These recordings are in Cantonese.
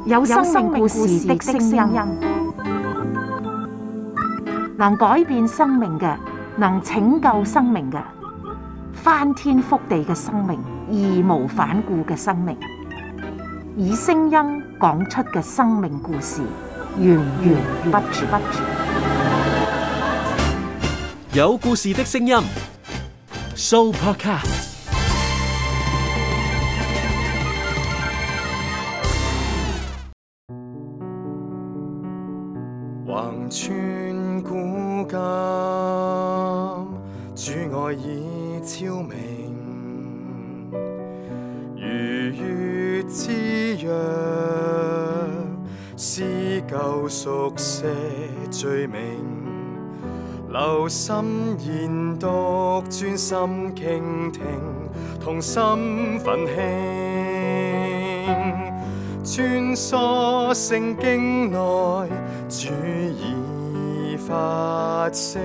有生命故事的聲音，能改變生命嘅，能拯救生命嘅，翻天覆地嘅生命，義無反顧嘅生命，以聲音講出嘅生命故事，源源不絕。有故事的聲音 ，Sooopodcast。橫穿古今，主愛已超明，如月之約，撕舊熟寫罪名，留心研讀，專心傾聽，同心奮興，穿梭聖經內，主已發聲，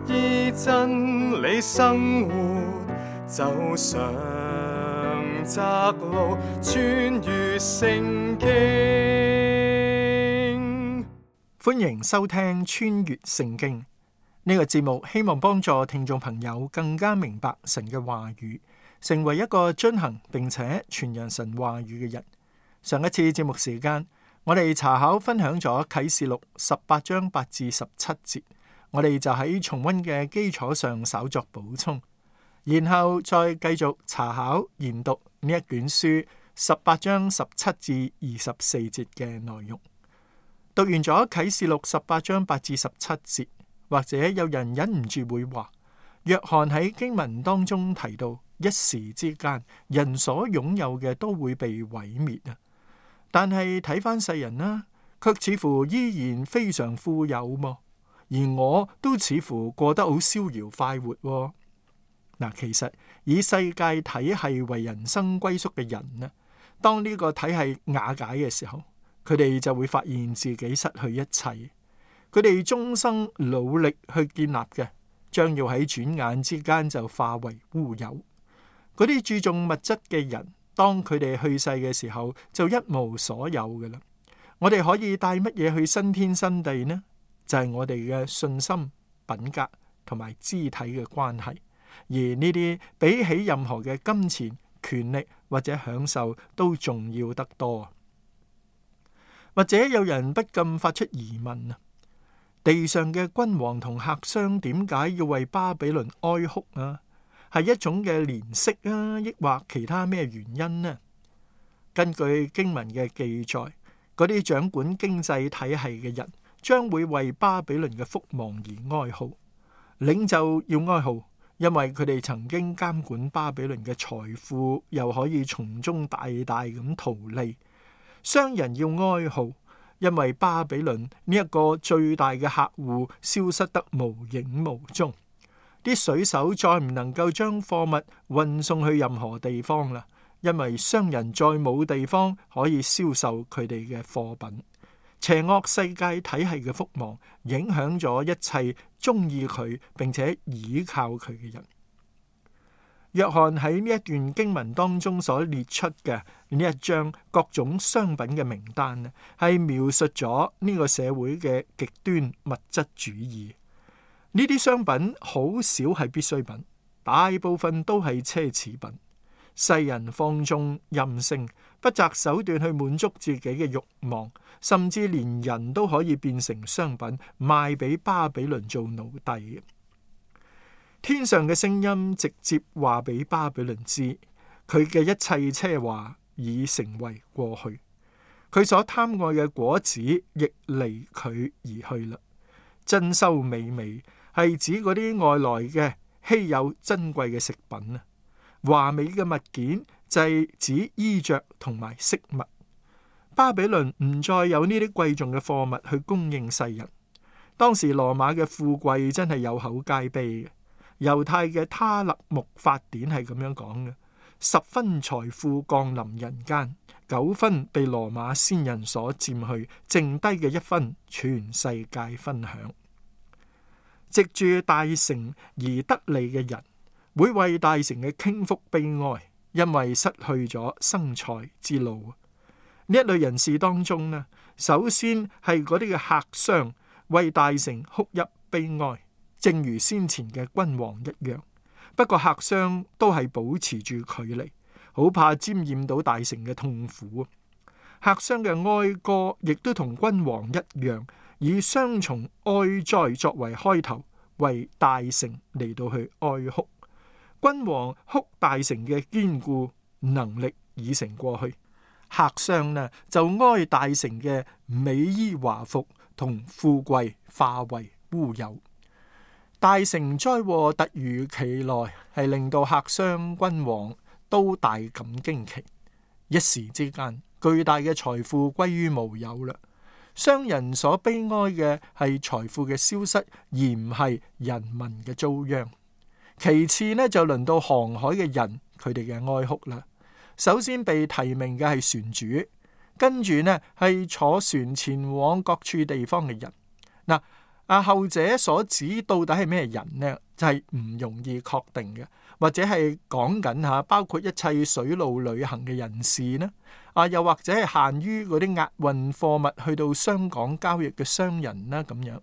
依真理生活，走上窄路，穿越聖經。歡迎收聽穿越聖經呢個節目，希望幫助聽眾朋友更加明白神嘅話語，成為一個遵行並且傳揚神話語嘅人。上一次節目時間，我哋查考分享咗啟示錄18章8至17節，我哋就喺重溫嘅基礎上稍作補充，然後再繼續查考研讀呢一卷書18章17至24節嘅內容。讀完咗啟示錄18章8至17節，或者有人忍唔住會話，約翰喺經文當中提到，一時之間人所擁有嘅都會被毀滅啊！但係睇翻世人啦，卻似乎依然非常富有喎，而我都似乎過得好逍遙快活喎。嗱，其實以世界體系為人生歸宿嘅人呢，當呢個體系瓦解嘅時候，佢哋就會發現自己失去一切。佢哋終生努力去建立嘅，將要喺轉眼之間就化為烏有。嗰啲注重物質嘅人，當佢哋去世嘅時候，就一無所有㗎喇。我哋可以帶乜嘢去新天新地呢？就係我哋嘅信心、品格同埋肢體嘅關係。而呢啲比起任何嘅金錢、權力或者享受都重要得多。或者有人不禁發出疑問啊，地上嘅君王同客商點解要為巴比倫哀哭啊？係一種嘅憐惜啊，抑或其他咩原因呢？根據經文嘅記載，嗰啲掌管經濟體系嘅人將會為巴比倫嘅覆亡而哀號。領袖要哀號，因為佢哋曾經監管巴比倫嘅財富，又可以從中大大咁圖利。商人要哀號，因為巴比倫呢一個最大嘅客戶消失得無影無蹤，啲水手再唔能夠將貨物運送去任何地方啦，因為商人再冇地方可以銷售佢哋嘅貨品。邪惡世界體系嘅覆亡，影響咗一切中意佢並且倚靠佢嘅人。約翰喺呢一段經文當中所列出嘅呢一張各種商品嘅名單呢，係描述咗呢個社會嘅極端物質主義。呢啲商品好少係必需品，大部分都係奢侈品。世人放縱任性，不擇手段去滿足自己嘅慾望，甚至連人都可以變成商品，賣俾巴比倫做奴隸。天上嘅聲音直接話俾巴比倫知，佢嘅一切奢華已成為過去，佢所貪愛嘅果子亦離佢而去啦。珍饈美味係指嗰啲外來嘅稀有珍貴嘅食品啊，華美嘅物件就係指衣着同埋飾物。巴比倫唔再有呢啲貴重嘅貨物去供應世人。當時羅馬嘅富貴真係有口皆碑嘅。猶太嘅他勒木法典係咁樣講嘅：10分財富降臨人間，9分被羅馬先人所佔去，剩低嘅1分全世界分享。藉住大城而得利嘅人，會為大城嘅傾覆悲哀，因為失去咗生財之路。呢一類人士當中呢，首先係嗰啲嘅客商為大城哭泣悲哀，正如先前嘅君王一樣。不過客商都係保持住距離，好怕沾染到大城嘅痛苦。客商嘅哀歌亦都同君王一樣，以雙重哀哉作為開頭，為大城嚟到去哀哭。君王哭大城嘅堅固能力已成過去，客商呢就哀大城嘅美衣華服同富貴化為烏有。大城災禍突如其來，係令到客商君王都大感驚奇，一時之間巨大嘅財富歸於無有啦。商人所悲哀嘅係財富嘅消失，而唔係人民嘅遭殃。其次呢，就輪到航海嘅人，佢哋嘅哀哭啦。首先被提名嘅係船主，跟住呢係坐船前往各處地方嘅人。嗱，後者所指到底係咩人呢？就係唔容易確定嘅，或者係講緊包括一切水路旅行嘅人士呢？又或者係限於嗰啲押運貨物去到商港交易嘅商人啦咁樣。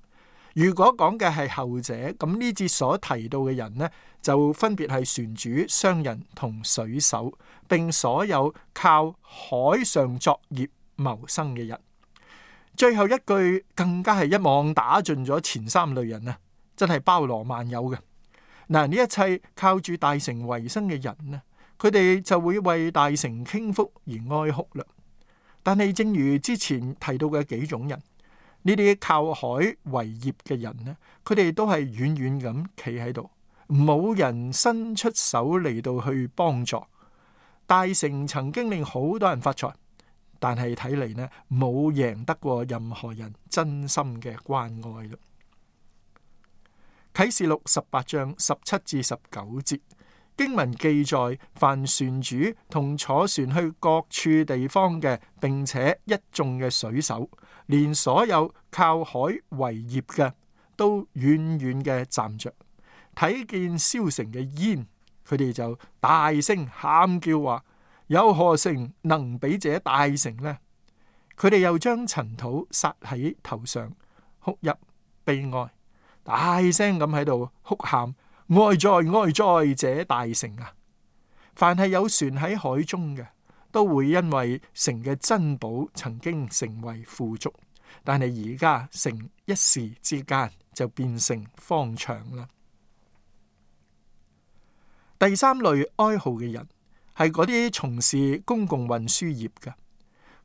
如果講嘅係後者，咁呢節所提到嘅人呢，就分別係船主、商人同水手，並所有靠海上作業謀生嘅人。最後一句更加係一網打盡咗前三類人啊，真係包羅萬有嘅。嗱，呢一切靠住大城為生嘅人呢，佢哋就會為大城傾覆而哀哭啦。但係正如之前提到嘅幾種人，呢啲靠海為業嘅人呢，佢哋都係遠遠咁企喺度，冇人伸出手嚟到去幫助。大城曾經令好多人發財，但係睇嚟呢，冇贏得過任何人真心嘅關愛啦。啟示錄18章17至19節經文記載，凡船主同坐船去各處地方嘅，並且一眾嘅水手，連所有靠海為業嘅，都遠遠嘅站着，睇見燒成嘅煙，佢哋就大聲喊叫話：有何城能比這大城呢？佢哋又將塵土撒喺頭上，哭泣悲哀，大聲咁喺度哭喊：哀哉哀哉，這大城啊！凡係有船喺海中嘅，都會因為城嘅珍寶曾經成為富足，但係而家城一時之間就變成荒場啦。第三類哀號嘅人係嗰啲從事公共運輸業嘅，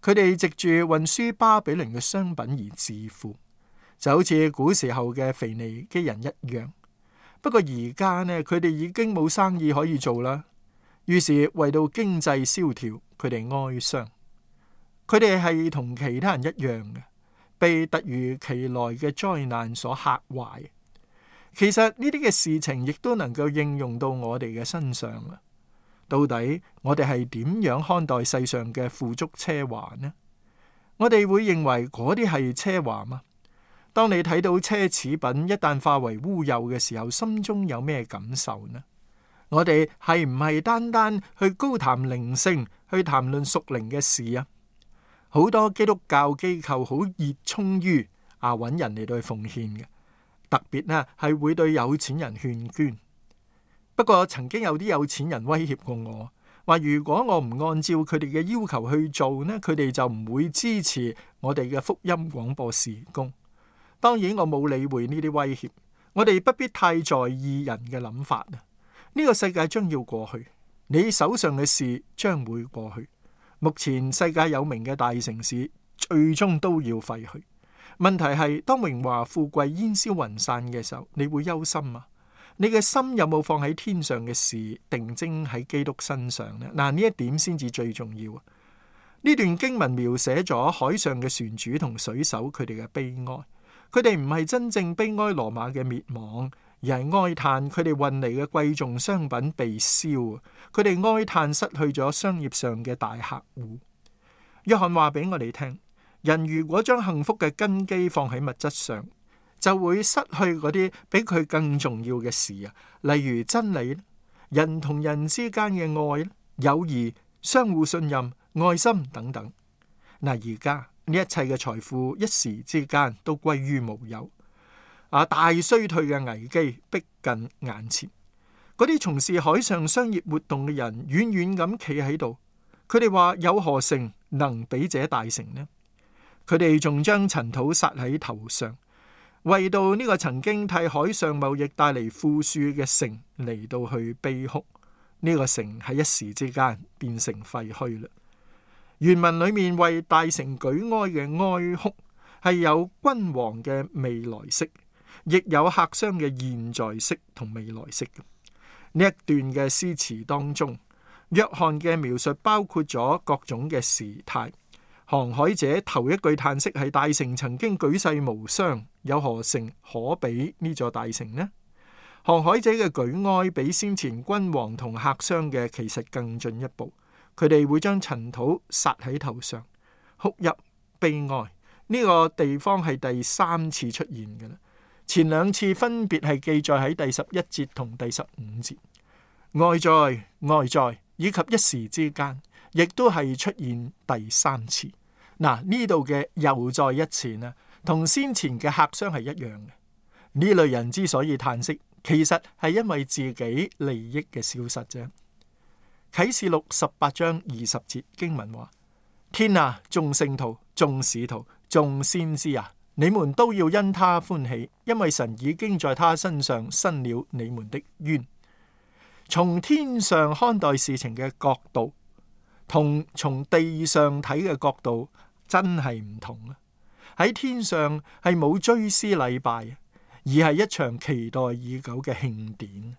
佢哋藉住運輸巴比倫嘅商品而致富，就好似古時候嘅腓尼基人一樣。不過而家呢，佢哋已經冇生意可以做啦，於是為到經濟蕭條，佢哋哀傷。佢哋係同其他人一樣嘅，被突如其來嘅災難所嚇壞。其實呢啲嘅事情亦都能夠應用到我哋嘅身上啊！到底我哋係點樣看待世上嘅富足奢華呢？我哋會認為嗰啲係奢華嗎？當你睇到奢侈品一旦化為烏有嘅時候，心中有咩感受呢？我哋係唔係單單去高談靈性，去談論屬靈嘅事啊？好多基督教機構好熱衷於揾人嚟到去奉獻嘅，特別呢係會對有錢人勸捐。不過曾經有啲有錢人威脅過我，話如果我唔按照佢哋嘅要求去做呢，佢哋就唔會支持我哋嘅福音廣播事工。當然我冇理會呢啲威脅，我哋不必太在意人嘅諗法啊！呢個世界將要過去，你手上嘅事將會過去。目前世界有名嘅大城市最終都要廢去。問題係當榮華富貴煙消雲散嘅時候，你會憂心啊？你嘅心有冇放喺天上嘅事，定睛喺基督身上呢？嗱，呢一點先至最重要啊！呢段經文描寫咗海上嘅船主同水手佢哋嘅悲哀。佢哋唔係真正悲哀羅馬嘅滅亡，而係哀嘆佢哋運嚟嘅貴重商品被燒。佢哋哀嘆失去咗商業上嘅大客戶。約翰話俾我哋聽，人如果將幸福嘅根基放喺物質上，就會失去嗰啲比佢更重要嘅事啊，例如真理、人同人之間嘅愛、友誼、相互信任、愛心等等。嗱，而家呢一切嘅財富一時之間都歸於無有。大衰退嘅危機逼近眼前。嗰啲從事海上商業活動嘅人遠遠咁企喺度，佢哋話：有何城能比這大城呢？佢哋仲將塵土撒喺頭上，為到呢個曾經替海上貿易帶嚟富庶嘅城嚟到去悲哭。呢個城喺一時之間變成廢墟啦。原文裏面為大城舉哀嘅哀哭係有君王嘅未來式，亦有客商嘅現在式同未來式嘅。呢一段嘅詩詞當中，約翰嘅描述包括咗各種嘅時態。航海者頭一句嘆息係：大城曾經舉世無雙，有何城可比呢座大城呢？航海者嘅舉哀比先前君王同客商嘅其實更進一步，佢哋會將塵土撒喺頭上，哭泣悲哀。呢個地方係第3次出現嘅啦。前2次分別係記載喺第11節同第15節。哀哉哀哉，以及一時之間，亦都係出現第3次。嗱，呢度嘅又再一次呢，同先前嘅客商係一樣嘅。呢類人之所以嘆息，其實係因為自己利益嘅消失啫。啟示錄18章20節經文話：天啊，眾聖徒、眾使徒、眾先知啊，你們都要因他歡喜，因為神已經在他身上伸了你們的冤。從天上看待事情嘅角度，同從地上睇嘅角度真係唔同啊！喺天上係冇追思禮拜，而係一場期待已久嘅慶典。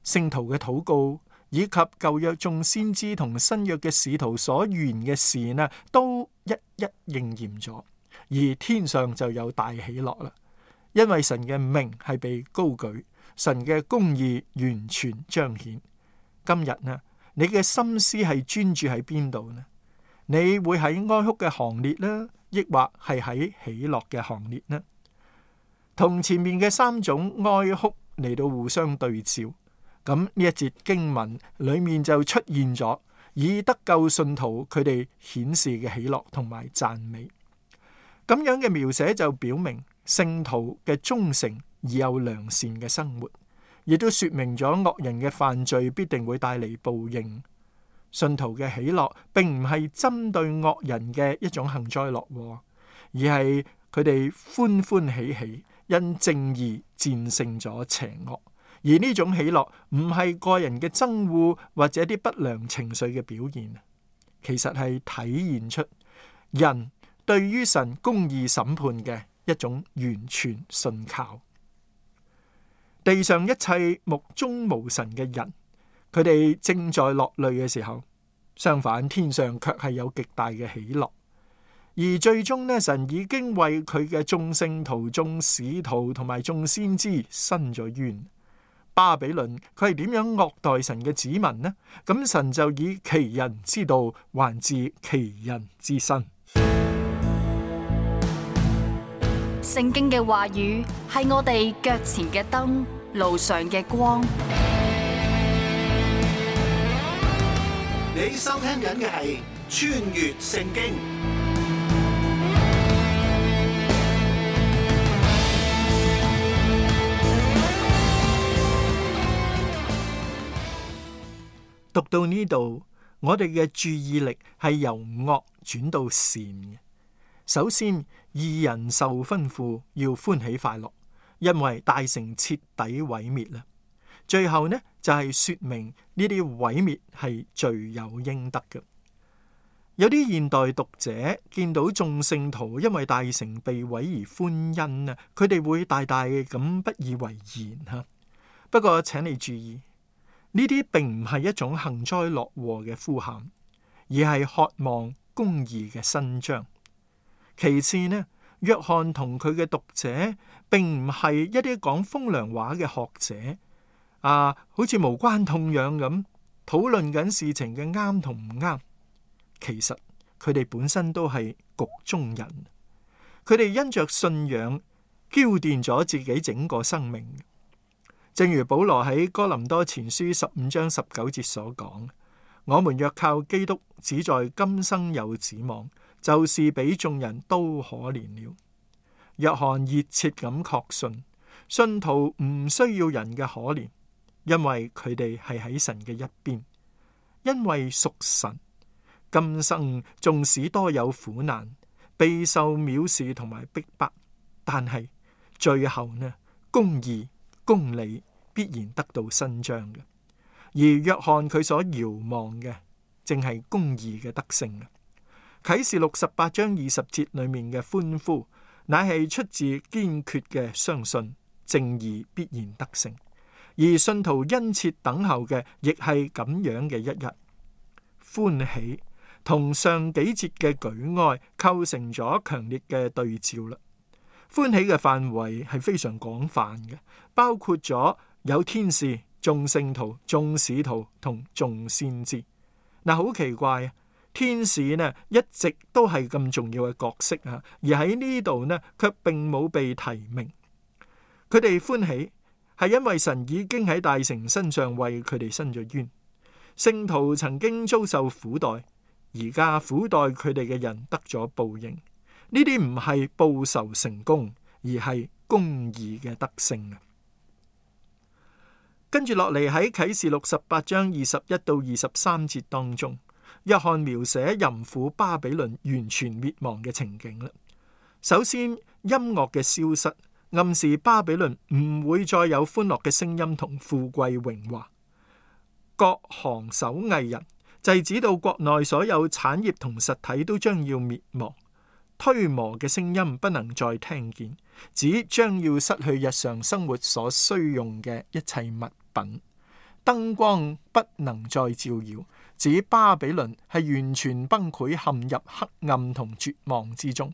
聖徒嘅禱告以及舊約眾先知同新約嘅使徒所預言嘅事呢，都一一應驗咗。而天上就有大喜樂啦，因為神嘅名係被高舉，神嘅公義完全彰顯。今日呢，你嘅心思係專注喺邊度呢？你會喺哀哭嘅行列呢，抑或係喺喜樂嘅行列呢？同前面嘅3種哀哭嚟到互相對照，咁呢一節經文裏面就出現咗以得救信徒佢哋顯示嘅喜樂同埋讚美。咁樣嘅描寫就表明聖徒嘅忠誠而有良善嘅生活，亦都說明咗惡人嘅犯罪必定會帶嚟報應。信徒嘅喜樂並唔係針對惡人嘅一種幸災樂禍，而係佢哋歡歡喜喜，因正義戰勝咗邪惡。而呢種喜樂唔係個人嘅憎惡或者啲不良情緒嘅表現，其實係體現出人對於神公義審判嘅一種完全信靠。地上一切目中無神嘅人，佢哋正在落淚嘅時候，相反天上卻係有極大嘅喜樂。而最終呢，神已經為佢嘅眾聖徒、眾使徒同埋眾先知伸咗冤。巴比倫佢係點樣惡待神嘅子民呢？咁神就以其人之道還治其人之身。聖經嘅話語係我哋腳前嘅燈，路上嘅光。你收聽緊嘅係穿越聖經。讀到呢度，我哋嘅注意力係由惡轉到善嘅。首先，義人受吩咐要歡喜快樂，因為大城徹底毀滅啦。最後呢，就係說明呢啲毀滅係罪有應得嘅。有啲現代讀者見到眾聖徒因為大城被毀而歡欣啊，佢哋會大大咁不以為然吓。不過請你注意，呢啲並唔係一種幸災樂禍嘅呼喊，而係渴望公義嘅伸張。其次呢，約翰同佢嘅讀者並唔係一啲講風涼話嘅學者，好似無關痛癢咁討論緊事情嘅啱同唔啱。其實佢哋本身都係局中人，佢哋因着信仰澆奠咗自己整個生命。正如保羅喺哥林多前書15章19節所講：我們若靠基督，只在今生有指望，就是比眾人都可憐了。約翰熱切咁確信，信徒唔需要人嘅可憐，因為佢哋係喺神嘅一邊，因為屬神。今生縱使多有苦難，備受藐視同埋逼迫，但係最後呢，公義公理必然得到伸張嘅。而約翰佢所遙望嘅，正係公義嘅得勝。啟示錄18章20節裏面嘅歡呼，乃係出自堅決嘅相信，正義必然得勝。而信徒殷切等候嘅，亦係咁樣嘅一日。歡喜同上幾節嘅舉哀構成咗強烈嘅對照啦。歡喜嘅範圍係非常廣泛嘅，包括咗有天使、眾聖徒、眾使徒同眾先知。嗱，好奇怪啊！天使呢一直都係咁重要嘅角色啊，而喺呢度呢卻並冇被提名。佢哋歡喜係因為神已經喺大城身上為佢哋伸咗冤。聖徒曾經遭受苦待，而家苦待佢哋嘅人得咗報應。呢啲唔係報仇成功，而係公義嘅得勝啊！跟住落嚟喺啟示錄18章21到23節當中，約翰描寫淫婦巴比倫完全滅亡嘅情景啦。首先，音樂嘅消失，暗示巴比倫唔會再有歡樂嘅聲音同富貴榮華。各行手藝人，就係指到國內所有產業同實體都將要滅亡。推磨嘅聲音不能再聽見，指將要失去日常生活所需用嘅一切物品。燈光不能再照耀，指巴比倫係完全崩潰，陷入黑暗同絕望之中。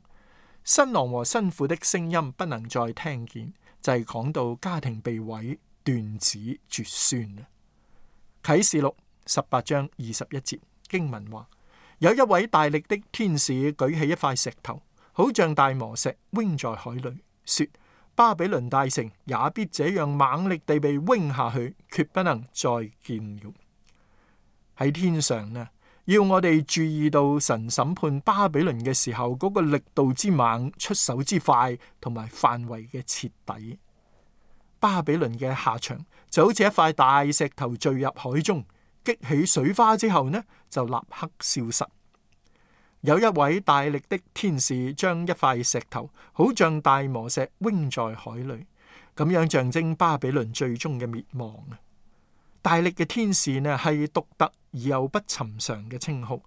新郎和新婦的聲音不能再聽見，就係講到家庭被毀，斷子絕孫。啟示錄18章21節經文話，有一位大力的天使舉起一塊石頭，好像大磨石，扔在海裏，說：巴比倫大城也必這樣猛力地被扔下去，決不能再見了。喺天上呢，要我哋注意到神審判巴比倫嘅時候嗰個力度之猛、出手之快同埋範圍嘅徹底。巴比倫嘅下場就好似一塊大石頭墜入海中，激起水花之後呢，就立刻消失。有一位大力的天使將一塊石頭，好像大磨石，扔在海裏，咁樣象徵巴比倫最終嘅滅亡。大力嘅天使呢，係獨特而又不尋常嘅稱號。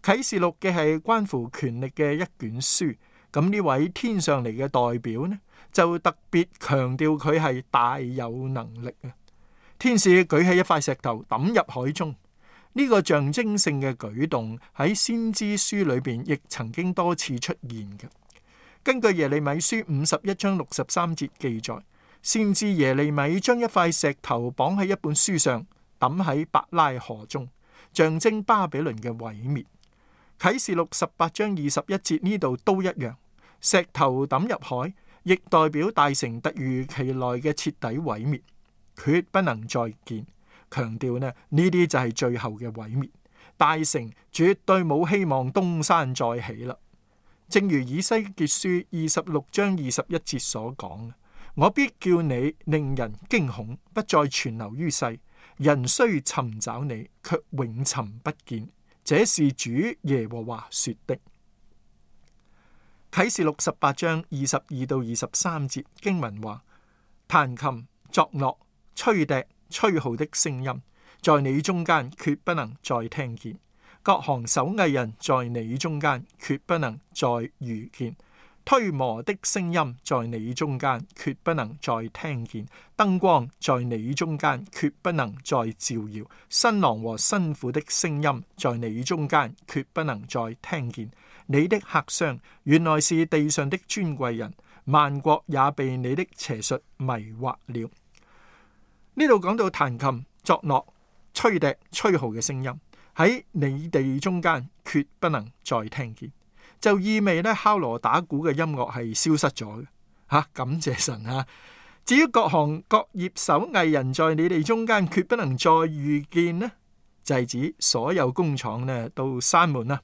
啟示錄嘅係關乎權力嘅一卷書，咁呢位天上嚟嘅代表呢，就特別強調佢係大有能力啊！天使舉起一塊石頭抌入海中，呢個象徵性嘅舉動喺先知書裏邊亦曾經多次出現嘅。根據耶利米書51章63節記載，先知耶利米將一塊石頭綁喺一本書上，抌喺伯拉河中，象徵巴比倫嘅毀滅。啟示錄18章21節呢度都一樣，石頭抌入海，亦代表大城突如其來嘅徹底毀滅，決不能再見。強調呢啲就係最後嘅毀滅，大城絕對冇希望東山再起啦。正如以西結書26章21節所講，我必叫你令人驚恐，不再存留於世。人雖尋找你，卻永尋不見。這是主耶和華說的。啟示錄18章22到23節經文話：彈琴、作樂、吹笛、吹號的聲音，在你中間決不能再聽見；各行手藝人在你中間決不能再遇見；推磨的聲音在你中間決不能再聽見；燈光在你中間決不能再照耀；新郎和新婦的聲音在你中間決不能再聽見。你的客商原來是地上的尊貴人，萬國也被你的邪術迷惑了。呢度講到彈琴、作樂、吹笛、吹號嘅聲音喺你哋中間決不能再聽見，就意味咧敲鑼打鼓嘅音樂係消失咗嘅。感謝神啊！至於各行各業手藝人在你哋中間決不能再遇見呢，就係指所有工廠呢都閂門啦。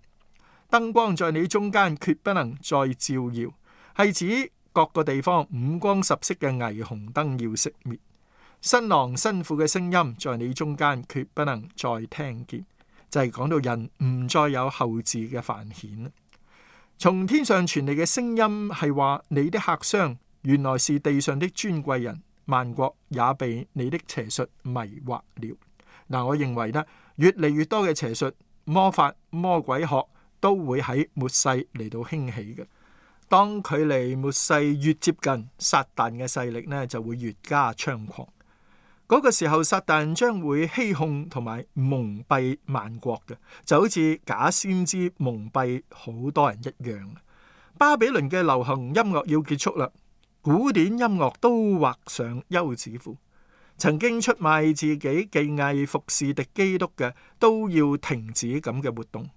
燈光在你中間，決不能再照耀，係指各個地方五光十色嘅霓虹燈要熄滅。新郎新婦嘅聲音在你中間，決不能再聽見，就係講到人唔再有後嗣嘅繁衍。從天上傳嚟嘅聲音係話，你的客商原來是地上的尊貴人，萬國也被你的邪術迷惑了。嗱，我認為呢，越嚟越多嘅邪術、魔法、魔鬼學都會喺末世嚟到興起嘅。當距離末世越接近，撒旦嘅勢力呢就會越加猖狂。嗰個時候，撒旦將會欺控同埋蒙蔽萬國嘅，就好似假先知蒙蔽好多人一樣。巴比倫嘅流行音樂要結束啦，古典音樂都畫上休止符。曾經出賣自己技藝服侍敵基督嘅，都要停止咁嘅活動。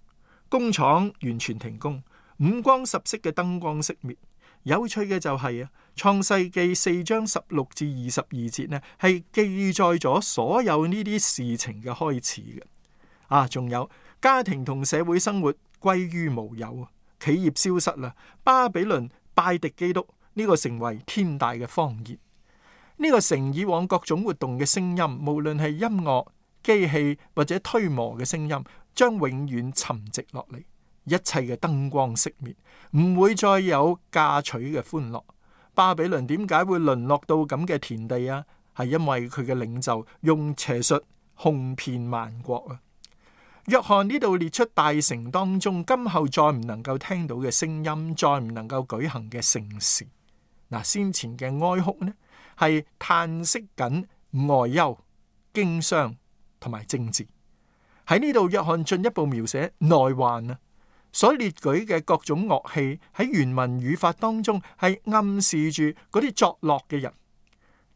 工廠完全停工，五光十色嘅燈光熄滅。有趣嘅就係創世記4章16至22節呢，係記載咗所有呢啲事情嘅開始嘅。仲有家庭同社會生活歸於無有，企業消失啦，巴比倫拜敵基督，呢個成為天大嘅謊言。呢個城以往各種活動嘅聲音，無論係音樂、機器或者推磨嘅聲音，將永遠沉寂落嚟。一切嘅燈光熄滅，唔會再有嫁娶嘅歡樂。巴比倫點解會淪落到咁嘅田地啊？係因為佢嘅領袖用邪術哄騙萬國啊！約翰呢度列出大城當中今後再唔能夠聽到嘅聲音，再唔能夠舉行嘅盛事。先前嘅哀哭呢，係嘆息緊外憂、經商同埋政治。喺呢度，約翰進一步描寫內患啊，所列舉嘅各種樂器喺原文語法當中係暗示住嗰啲作樂嘅人。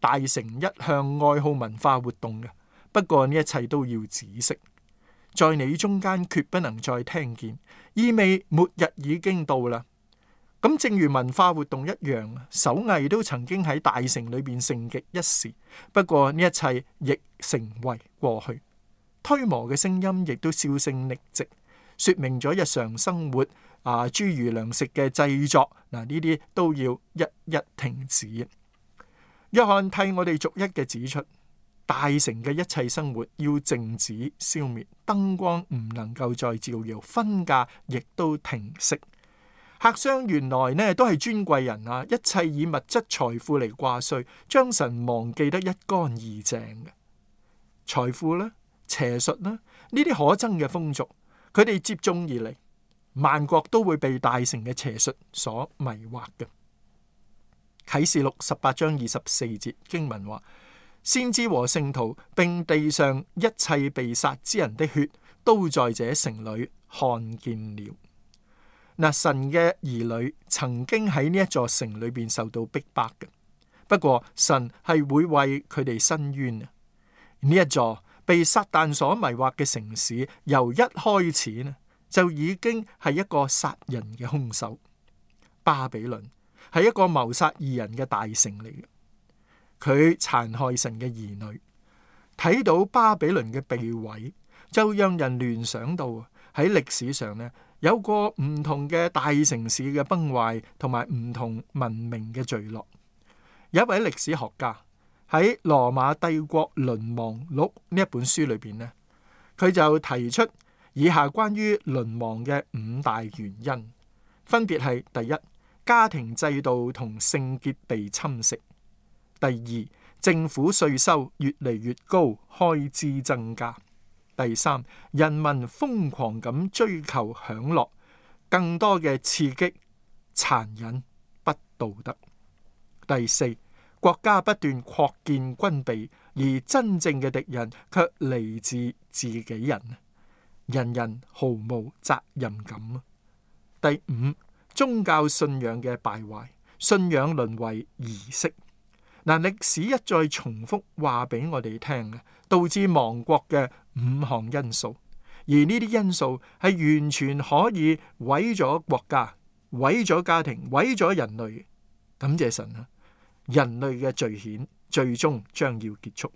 大城一向愛好文化活動嘅，不過呢一切都要止息。在你中間決不能再聽見，意味末日已經到啦。咁正如文化活動一樣，手藝都曾經喺大城裏邊盛極一時，不過呢一切亦成為過去。推磨嘅聲音亦都銷聲匿跡，說明咗日常生活諸如糧食嘅製作，呢啲都要一一停止。約翰替我哋逐一嘅指出，大城嘅一切生活要靜止消滅，燈光唔能夠再照耀，婚嫁亦都停息。客商原來呢都係尊貴人啊，一切以物質財富嚟掛帥，將神忘記得一乾二淨嘅。財富啦、邪術啦，呢啲可憎嘅風俗，佢哋接踵而嚟，萬國都會被大城嘅邪術所迷惑嘅。啟示錄18章24節經文話：先知和聖徒並地上一切被殺之人的血，都在這城裏看見了。神嘅兒女曾經喺呢一座城裏邊受到逼迫嘅，不過神係會為佢哋伸冤啊！呢一座被撒旦所迷惑嘅城市，由一開始呢就已經係一個殺人嘅兇手。巴比倫係一個謀殺義人嘅大城嚟嘅，佢殘害神嘅兒女。睇到巴比倫嘅被毀，就讓人聯想到喺歷史上呢，有過唔同嘅大城市嘅崩壞，同埋唔同文明嘅墜落。有一位歷史學家喺《羅馬帝國淪亡錄》呢一本書裏邊呢，佢就提出以下關於淪亡嘅5大原因，分別係：第一，家庭制度同聖潔被侵蝕；第二，政府稅收越嚟越高，開支增加；第三，人民瘋狂咁追求享樂，更多嘅刺激、殘忍、不道德；第四，國家不斷擴建軍備，而真正嘅敵人卻嚟自自己人，人人毫無責任感。第五，宗教信仰嘅敗壞，信仰淪為儀式。歷史一再重複話俾我哋聽嘅，導致亡國嘅5項因素，而呢啲因素係完全可以毀咗國家、毀咗家庭、毀咗人類。感謝神啊！人類嘅罪愆最終將要結束。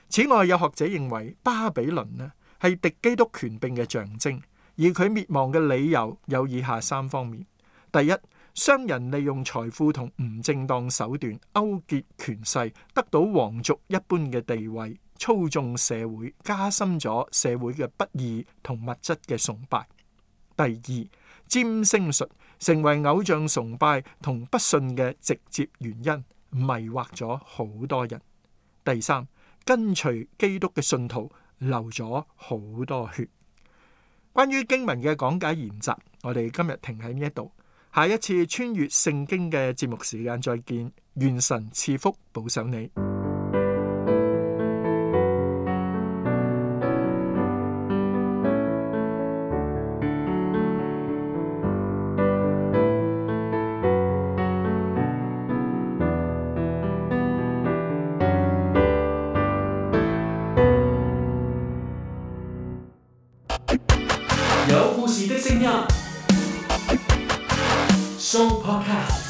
此外，有學者認為巴比倫呢係敵基督權柄嘅象徵，而佢滅亡嘅理由有以下3方面。第一，商人利用財富同唔正當手段勾結權勢，得到皇族一般嘅地位，操縱社會，加深咗社會嘅不義同物質嘅崇拜。第二，占星術成為偶像崇拜同不信嘅直接原因，迷惑咗好多人。第三，跟隨基督嘅信徒流咗好多血。關於經文嘅講解研習，我哋今日停喺呢一度，下一次穿越聖經嘅節目時間再見，願神賜福保守你。有故事的聲音，Show Podcast。